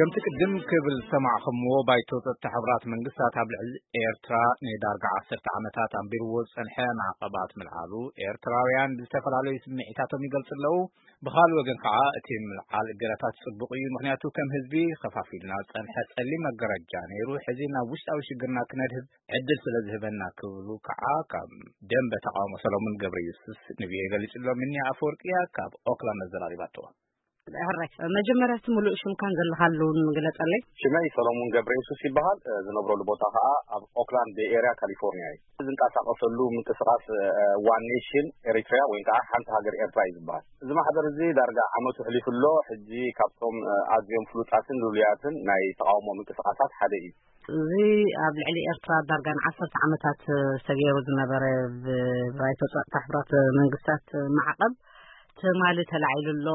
ከምቲ ቅድም ክብል ዝሰማዕኹምዎ፣ ባይቶ ጸጥታ ሕቡራት መንግስታት ኣብ ልዕሊ ኤርትራ ንዳርጋ ዓሰርተ ዓመታት ኣንቢርዎ ዝጸንሐ ማዕቐባት ምልዓሉ፣ ኤርትራውያን ብዝተፈላለዩ ስምዒታቶም ይገልጹ ኣለዉ። ብኻልእ ወገን ከዓ እቲ ምልዓል እገዳታት ጽቡቕ እዩ፣ ምኽንያቱ ከም ህዝቢ ከፋፊሉና ዝጸንሐ ጸሊም መጋረጃ ነይሩ፣ ሕዚ ናብ ውሽጣዊ ሽግርና ክነድህብ ዕድል ስለ ዝህበና ክብሉ ከዓ ካብ ደንበ ተቃውሞ ሰሎሙን ገብረ ኢየሱስ ንቪኦኤ ገሊጹ ኣሎ። ምንያ ኣፈወርቅያ ካብ ኦክላንድ ኣዘራሪባቶ። ሕራይ፣ መጀመርያ እቲ ምሉእ ሽምካን ዘለኻሉ ግለጸለይ። ሽመይ ሰሎሙን ገብረ የሱስ ይበሃል። ዝነብረሉ ቦታ ከኣ ኣብ ኦክላንድ ቤይ ኤርያ ካሊፎርኒያ እዩ። ዝንቀሳቐሰሉ ምንቅስቓስ ዋን ኔሽን ኤሪትሪያ ወይ ከዓ ሓንቲ ሃገር ኤርትራ እዩ ዝበሃል። እዚ ማሕበር እዚ ዳርጋ ዓመቱ ሕሊፉ ኣሎ። ሕጂ ካብቶም ኣዝዮም ፍሉጣትን ልሉያትን ናይ ተቓውሞ ምንቅስቓሳት ሓደ እዩ። እዚ ኣብ ልዕሊ ኤርትራ ዳርጋ ንዓሰርተ ዓመታት ዝተገይሩ ዝነበረ ብባይቶ ጸጥታ ሕቡራት መንግስታት ማዕቐብ ትማሊ ተላዒሉ ኣሎ።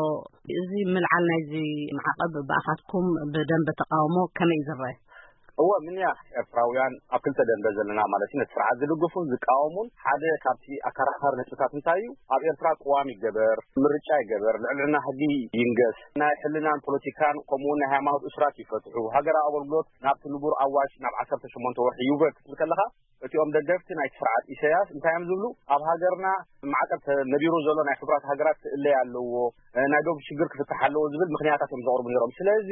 እዚ ምልዓል ናይዚ ማዕቐብ ብኣኻትኩም ብደንበ ተቃውሞ ከመይ እዩ ዝረአ? እወ፣ ምንያ ኤርትራውያን ኣብ ክልተ ደንበ ዘለና ማለት እዩ። ነቲ ስርዓት ዝድግፉን ዝቃወሙን። ሓደ ካብቲ ኣከራኻሪ ነጥብታት እንታይ እዩ? ኣብ ኤርትራ ቅዋም ይገበር፣ ምርጫ ይገበር፣ ልዕልና ሕጊ ይንገስ፣ ናይ ሕልናን ፖለቲካን ከምኡውን ናይ ሃይማኖት እሱራት ይፈትሑ፣ ሃገራዊ ኣገልግሎት ናብቲ ንቡር ኣዋጅ ናብ ዓሰርተ ሸሞንተ ወርሒ ይውረድ ክትብል ከለኻ፣ እቲኦም ደገፍቲ ናይቲ ስርዓት ኢሳያስ እንታይ እዮም ዝብሉ? ኣብ ሃገርና ማዕቀብ ተነቢሩ ዘሎ ናይ ሕቡራት ሃገራት ክእለይ ኣለዎ፣ እ፣ ናይ ዶብ ሽግር ክፍታሕ ኣለዎ ዝብል ምኽንያታት እዮም ዘቕርቡ ነይሮም። ስለዚ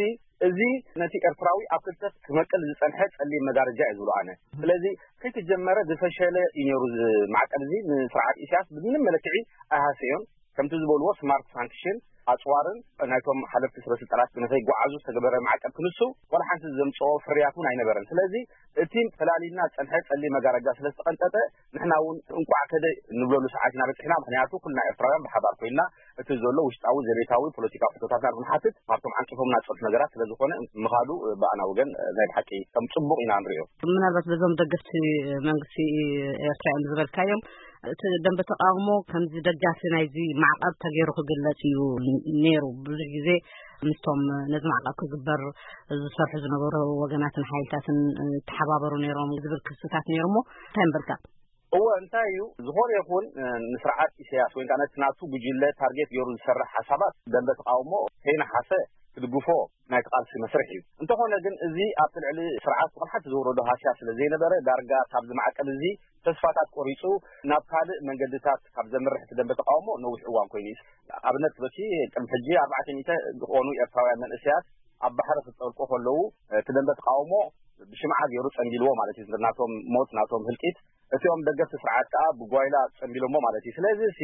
እዚ ነቲ ኤርትራዊ ኣብ ክልተ ክመቅል ዝጸንሐ ጸሊም መጋረጃ እዩ ዝብሉ ኣነ። ስለዚ ከይተጀመረ ዝፈሸለ እዩ ነይሩ እዚ ማዕቀብ እዚ። ንስርዓት ኢሳያስ ብምንም መለክዒ ኣይሃሰዮን። ከምቲ ዝበልዎ ስማርት ሳንክሽን ኣጽዋርን ናይቶም ሓለፍቲ ስበ ስልጣናት ብንኸይጓዓዙ ዝተገበረ ማዕቀብ ክንሱ ዋላ ሓንቲ ዘምጽኦ ፍርያት እውን ኣይነበረን። ስለዚ እቲ ፈላሊና ዝጸንሐ ጸሊም መጋረጃ ስለ ዝተቐንጠጠ ንሕና እውን እንቋዕ ከደ ንብለሉ ሰዓት ኢና በጺሕና። ምኽንያቱ ኩልና ኤርትራውያን ብሓባር ኮይንና እቲ ዘሎ ውሽጣዊ ዘቤታዊ ፖለቲካዊ ሕቶታትና ንክንሓትት ካብቶም ዓንቂፎምና ዝጸንሑ ነገራት ስለ ዝኾነ ምኻዱ ብኣና ወገን ናይ ብሓቂ ከም ጽቡቕ ኢና ንሪኦ። ምናልባት በዞም ደገፍቲ መንግስቲ ኤርትራ እዮም ዝበልካዮም፣ እቲ ደንበ ተቃውሞ ከምዚ ደጋፊ ናይዚ ማዕቐብ ተገይሩ ክግለጽ እዩ ነይሩ። ብዙሕ ግዜ ምስቶም ነዚ ማዕቐብ ክግበር ዝሰርሑ ዝነበሩ ወገናትን ሓይልታትን ተሓባበሩ ነይሮም ዝብል ክስታት ነይሩ። እሞ እንታይ ምበልካ? እወ፣ እንታይ እዩ፣ ዝኾነ ይኹን፣ እ፣ ንስርዓት ኢሳያስ ወይ ከዓ ነቲ ናቱ ጉጅለ ታርጌት ገይሩ ዝሰርሕ ሓሳባት ደንበ ተቃውሞ ከይነሓሰ ክድግፎ ናይቲ ቃልሲ መስርሕ እዩ። እንተኾነ ግን እዚ ኣብቲ ልዕሊ ስርዓት ብቕልሓት ዘውረዶ ሃስያ ስለ ዘይነበረ ዳርጋ ካብዚ ማዕቀብ እዚ ተስፋታት ቆሪጹ ናብ ካልእ መንገድታት ካብ ዘምርሕ እቲ ደንበ ተቃውሞ ነዊሕ እዋን ኮይኑ እዩ። ኣብነት በኪ ቅድሚ ሕጂ ኣርባዕተ ሚእቲ ዝኾኑ ኤርትራውያን መንእሰያት ኣብ ባሕሪ ክጠልቁ ከለዉ እቲ ደንበ ተቃውሞ ብሽምዓ ገይሩ ጸንቢልዎ ማለት እዩ። ናቶም ሞት፣ ናቶም ህልቂት፣ እቲኦም ደገፍቲ ስርዓት ከኣ ብጓይላ ጸንቢሎሞ ማለት እዩ። ስለዚ እዚ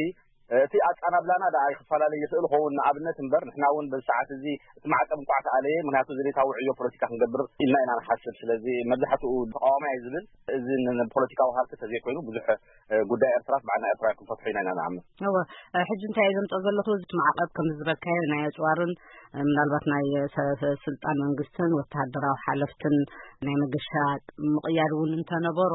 እቲ ኣጻናብላና ደኣ ክፈላለ ይኽእል ኸውን ንኣብነት እምበር፣ ንሕና እውን በዚ ሰዓት እዚ እቲ ማዕቀብ እንቋዕ ተኣለየ፣ ምኽንያቱ ዘቤታዊ ዕዮ ፖለቲካ ክንገብር ኢልና ኢና ንሓስብ። ስለዚ መብዛሕትኡ ተቃዋማይ እዩ ዝብል፣ እዚ ን-፣ ን-፣ ፖለቲካዊ ሃልኪ ተዘይኮይኑ ብዙሕ፣ እ፣ ጉዳይ ኤርትራስ ብዓና ኤርትራውያን ክንፈትሖ ኢና ኢና ንኣምን። እወ፣ እ፣ ሕጂ እንታይ እየ ዘምጽኦ ዘለኹ፣ እቲ ማዕቀብ ከም ዝበልካዮ ናይ ኣጽዋርን፣ እ፣ ምናልባት ናይ ሰ-፣ ሰ-፣ ስልጣን መንግስትን ወተሃደራዊ ሓለፍትን ናይ መገሻ ምቕያድ እውን እንተነበሮ፣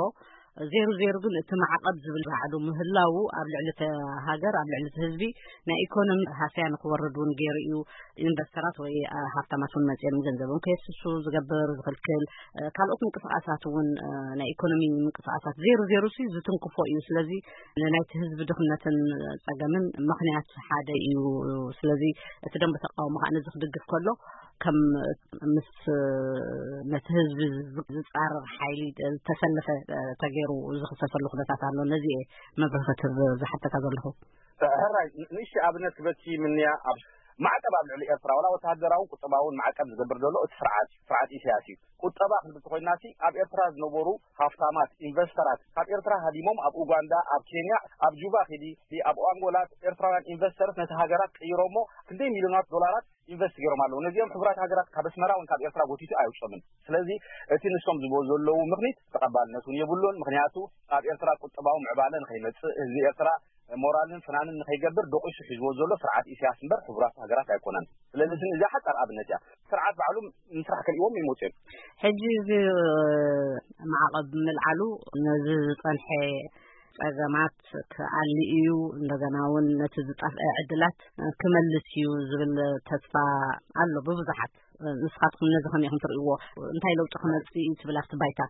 ዜሩ ዜሩ ግን እቲ ማዕቐብ ዝብል ባዕሉ ምህላዉ ኣብ ልዕሊ እተ ሃገር፣ ኣብ ልዕሊ እቲ ህዝቢ ናይ ኢኮኖሚ ሃስያ ንክወርድ እውን ገይሩ እዩ። ኢንቨስተራት ወይ፣ አ፣ ሃብታማት እውን መጺኦም ገንዘቦም ከየፍስሱ ዝገብር፣ ዝኽልክል፣ እ፣ ካልኦት ምንቅስቃሳት እውን፣ እ፣ ናይ ኢኮኖሚ ምንቅስቃሳት ዜሩ ዜሩ ሲ ዝትንክፎ እዩ። ስለዚ ንናይቲ ህዝቢ ድኽነትን ጸገምን ምኽንያት ሓደ እዩ። ስለዚ እቲ ደንበ ተቃውሞ ከዓ ነዚ ክድግፍ ከሎ ከም ምስ ነቲ ህዝቢ ዝ-፣ ዝጻረር ሓይሊ ዝተሰለፈ ተገይሩ ዝኽሰሰሉ ኩነታት ኣሎ። ነዚ እየ መብርሂ ክትህብ ዝሓተካ ዘለኹ። ሕራይ፣ ን-፣ ንእሽተይ ኣብነት ክበኪ ምንያ ኣብ ማዕቀብ ኣብ ልዕሊ ኤርትራ፣ ዋላ ወተሃደራውን ቁጠባውን ማዕቀብ ዝገብር ዘሎ እቲ ስርዓት፣ ስርዓት ኢሳያስ እዩ። ቁጠባ ክንብል ተኾይናሲ ኣብ ኤርትራ ዝነበሩ ሃፍታማት ኢንቨስተራት ካብ ኤርትራ ሃዲሞም ኣብ ኡጋንዳ፣ ኣብ ኬንያ፣ ኣብ ጁባ ኺዲ፣ ኣብ ኣንጎላ ኤርትራውያን ኢንቨስተርስ ነቲ ሃገራት ቀይሮሞ ክንደይ ሚልዮናት ዶላራት ኢንቨስት ገይሮም ኣለዉ። ነዚኦም ሕቡራት ሃገራት ካብ ኣስመራ ወይ ካብ ኤርትራ ጎቲቱ ኣየውጾምን። ስለዚ እቲ ንሶም ዝብዎ ዘለዉ ምኽኒት ተቐባልነት እውን የብሉን። ምኽንያቱ ኣብ ኤርትራ ቁጠባዊ ምዕባለ ንኸይመጽእ፣ ህዝቢ ኤርትራ ሞራልን ፍናንን ንኸይገብር ደቂሱ ሒዝዎ ዘሎ ስርዓት ኢሳያስ እምበር ሕቡራት ሃገራት ኣይኮነን። ስለዚ እዚ፣ እዚኣ ሓጻር ኣብነት እያ። ስርዓት ባዕሉ ምስራሕ ከልእዎም ይመጹ እዮም። ሕጂ እዚ ማዕቐብ ምልዓሉ ነዚ ዝጸንሐ ጸገማት ክኣሊ እዩ፣ እንደገና እውን ነቲ ዝጠፍአ ዕድላት ክመልስ እዩ ዝብል ተስፋ ኣሎ ብብዙሓት። ንስኻትኩም ነዚ ከመይ ኢኹም ትርእይዎ? እንታይ ለውጢ ክመጽእ እዩ ትብል ኣብቲ ባይታ?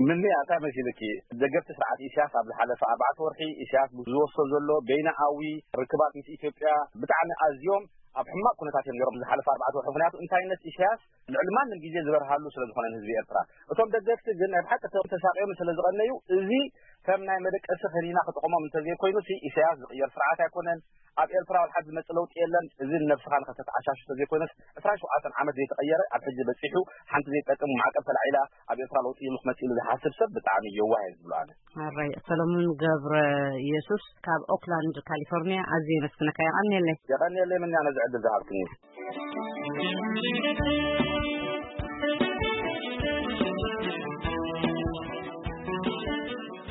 ምንያ እንታይ መሲልኪ? ደገፍቲ ስርዓት ኢሳያስ ኣብ ዝሓለፈ ኣርባዕተ ወርሒ ኢሳያስ ዝወስዶ ዘሎ በይናኣዊ ርክባት ምስ ኢትዮጵያ ብጣዕሚ ኣዝዮም ኣብ ሕማቕ ኩነታት እዮም ነይሮም ዝሓለፈ ኣርባዕተ ወርሒ። ምኽንያቱ እንታይነት ኢሳያስ ልዕሊ ማንም ግዜ ዝበርሃሉ ስለ ዝኾነ ንህዝቢ ኤርትራ። እቶም ደገፍቲ ግን ናይ ብሓቂ ተሳቂዮም ስለ ዝቐነዩ፣ እዚ ከም ናይ መደቀሲ ከኒና ክጥቕሞም እንተዘይኮይኑ፣ ኢሳያስ ዝቕየር ስርዓት ኣይኮነን። ኣብ ኤርትራ ወላ ሓንቲ ዝመጽእ ለውጢ የለን። እዚ ንነብስኻ ንኸተተዓሻሹ እንተዘይኮይኑስ፣ ዕስራን ሸውዓተን ዓመት ዘይተቐየረ ኣብ ሕጂ በጺሑ ሓንቲ ዘይጠቅም ማዕቀብ ተላዒላ ኣብ ኤርትራ ለውጢ ይምኽ መጽእ ኢሉ ዝሓስብ ሰብ ብጣዕሚ የዋህ እየ ዝብሎ ኣነ። ኣራይ ሰሎሞን ገብረ ኢየሱስ ካብ ኦክላንድ ካሊፎርኒያ ኣዝየ የመስግነካ። የቐንየለይ። የቐንየለይ ምንያ ነዚ ዕድል ዝሃብክኒ።